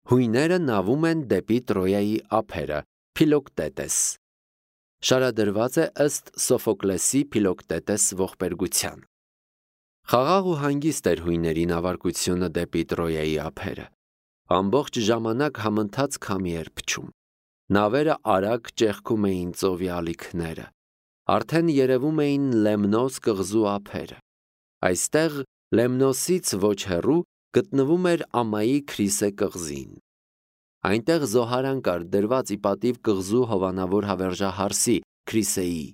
Հույները նավում են դեպի Տրոյայի ափերը, Փիլոկտետես։ Շարադրված է ըստ Սոֆոկլեսի Փիլոկտետես ողբերգության։ Խաղաղ ու հանգիստ էր հույների նավարկությունը դեպի Տրոյայի ափերը։ Ամբողջ ժամանակ համընթաց քամի էր փչում։ Նավերը արագ ճեղքում էին ծովի ալիքները։ Արդեն երևում էին Լեմնոս կղզու ափերը։ Այստեղ Լեմնոսից ոչ հեռու գտնվում էր Ամայի Քրիսե կղզին։ Այնտեղ զոհարան կար դրված ի պատիվ կղզու հովանավոր հավերժահարսի Քրիսեի։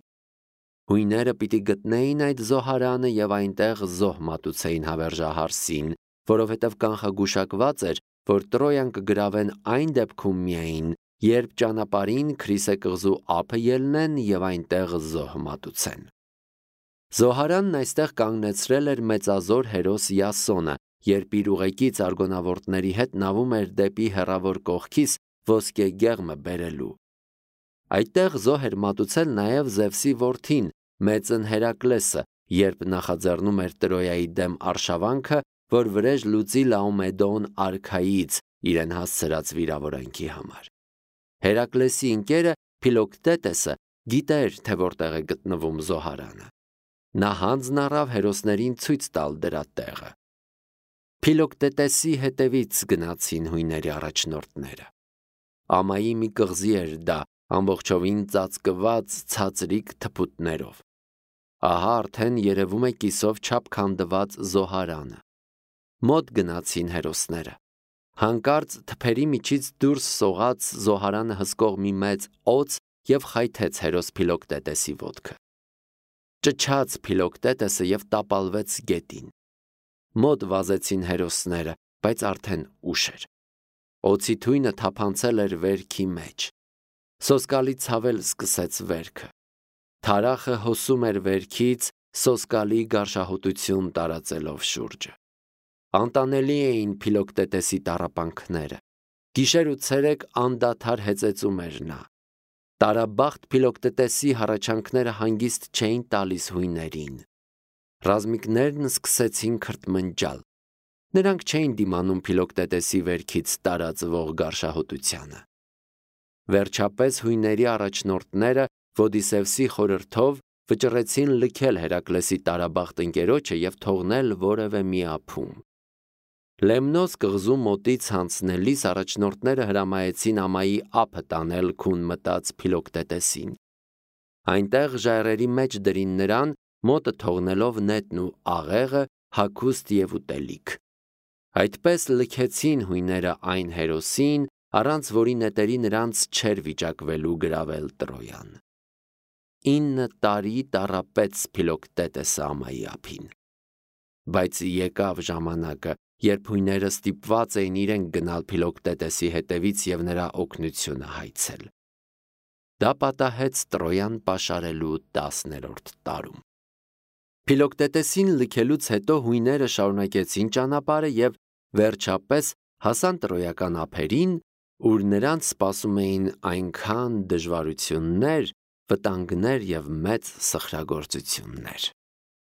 Հույները պիտի գտնեին այդ զոհարանը եւ այնտեղ զոհ մատուցեին հավերժահարսին, որովհետեւ կանխագուշակված էր, որ Տրոյան կգրավեն այն դեպքում միայն, երբ ճանապարհին Քրիսե կղզու ափը ելնեն եւ այնտեղ զոհ մատուցեն։ Զոհարանն այստեղ կանգնեցրել էր մեծազոր հերոս Յասոնը, երբ իր ուղեկից արգոնավորտների հետ նավում էր դեպի հեռավոր կողքից ոսկե գեղմը բերելու։ Այդտեղ զոհ էր մատուցել նաև Զևսի որդին, մեծն Հերակլեսը, երբ նախաձեռնում էր Տրոյայի դեմ արշավանքը, որ վրեժ լուծի Լաոմեդոն արքայից իրեն հասցրած վիրավորանքի համար։ Հերակլեսի ընկերը Փիլոկտետեսը գիտեր, թե որտեղ է գտնվում զոհարանը։ Նա հանձն առավ հերոսներին ցույց տալ դրա տեղը։ Փիլոկտետեսի հետևից գնացին հույների առաջնորդները։ Ամայի մի կղզի էր դա, ամբողջովին ծածկված ցածրիկ թփուտներով։ Ահա արդեն երևում է կիսով չափ քանդված զոհարանը։ Մոտ գնացին հերոսները։ Հանկարծ թփերի միջից դուրս սողաց զոհարանը հսկող մի մեծ օձ եւ խայթեց հերոս Փիլոկտետեսի ոտքը։ Ճչաց Փիլոկտետեսը եւ տապալվեց գետին։ Մոտ վազեցին հերոսները, բայց արդեն ուշ էր։ Օձի թույնը թափանցել էր վերքի մեջ։ Սոսկալի ցավել սկսեց վերքը։ Թարախը հոսում էր վերքից, սոսկալի գարշահոտություն տարածելով շուրջը։ Անտանելի էին Փիլոկտետեսի տառապանքները։ Գիշեր ու ցերեկ անդադար հեծեծում էր նա։ Տարաբախտ Փիլոկտետեսի հառաչանքները հանգիստ չէին տալիս հույներին։ Ռազմիկներն սկսեցին քրթմնջալ։ Նրանք չէին դիմանում Փիլոկտետեսի վերքից տարածվող գարշահոտությանը։ Վերջապես հույների առաջնորդները Ոդիսևսի խորհրդով վճռեցին լքել Հերակլեսի տարաբախտ ընկերոջը եւ թողնել որևէ մի ափում։ Լեմնոս կղզու մոտից անցնելիս առաջնորդները հրամայեցին Ամայի ափը տանել քուն մտած Փիլոկտետեսին։ Այնտեղ ժայռերի մեջ դրին նրան, մոտը թողնելով նետն ու աղեղը, հագուստ եւ ուտելիք։ Այդպես լքեցին հույները այն հերոսին, առանց որի նետերի նրանց չէր վիճակվելու գրավել Տրոյան։ 9 տարի տառապեց Փիլոկտետեսը Ամայի ափին։ Բայց եկավ ժամանակը, երբ հույները ստիպված էին իրենք գնալ Փիլոկտետեսի հետևից եւ նրա օգնությունը հայցել։ Դա պատահեց Տրոյան պաշարելու 10-րդ տարում։ Փիլոկտետեսին լքելուց հետո հույները շարունակեցին ճանապարհը եւ վերջապես հասան տրոյական ափերին, ուր նրանց սպասում էին այնքան դժվարություններ, վտանգներ եւ մեծ սխրագործություններ։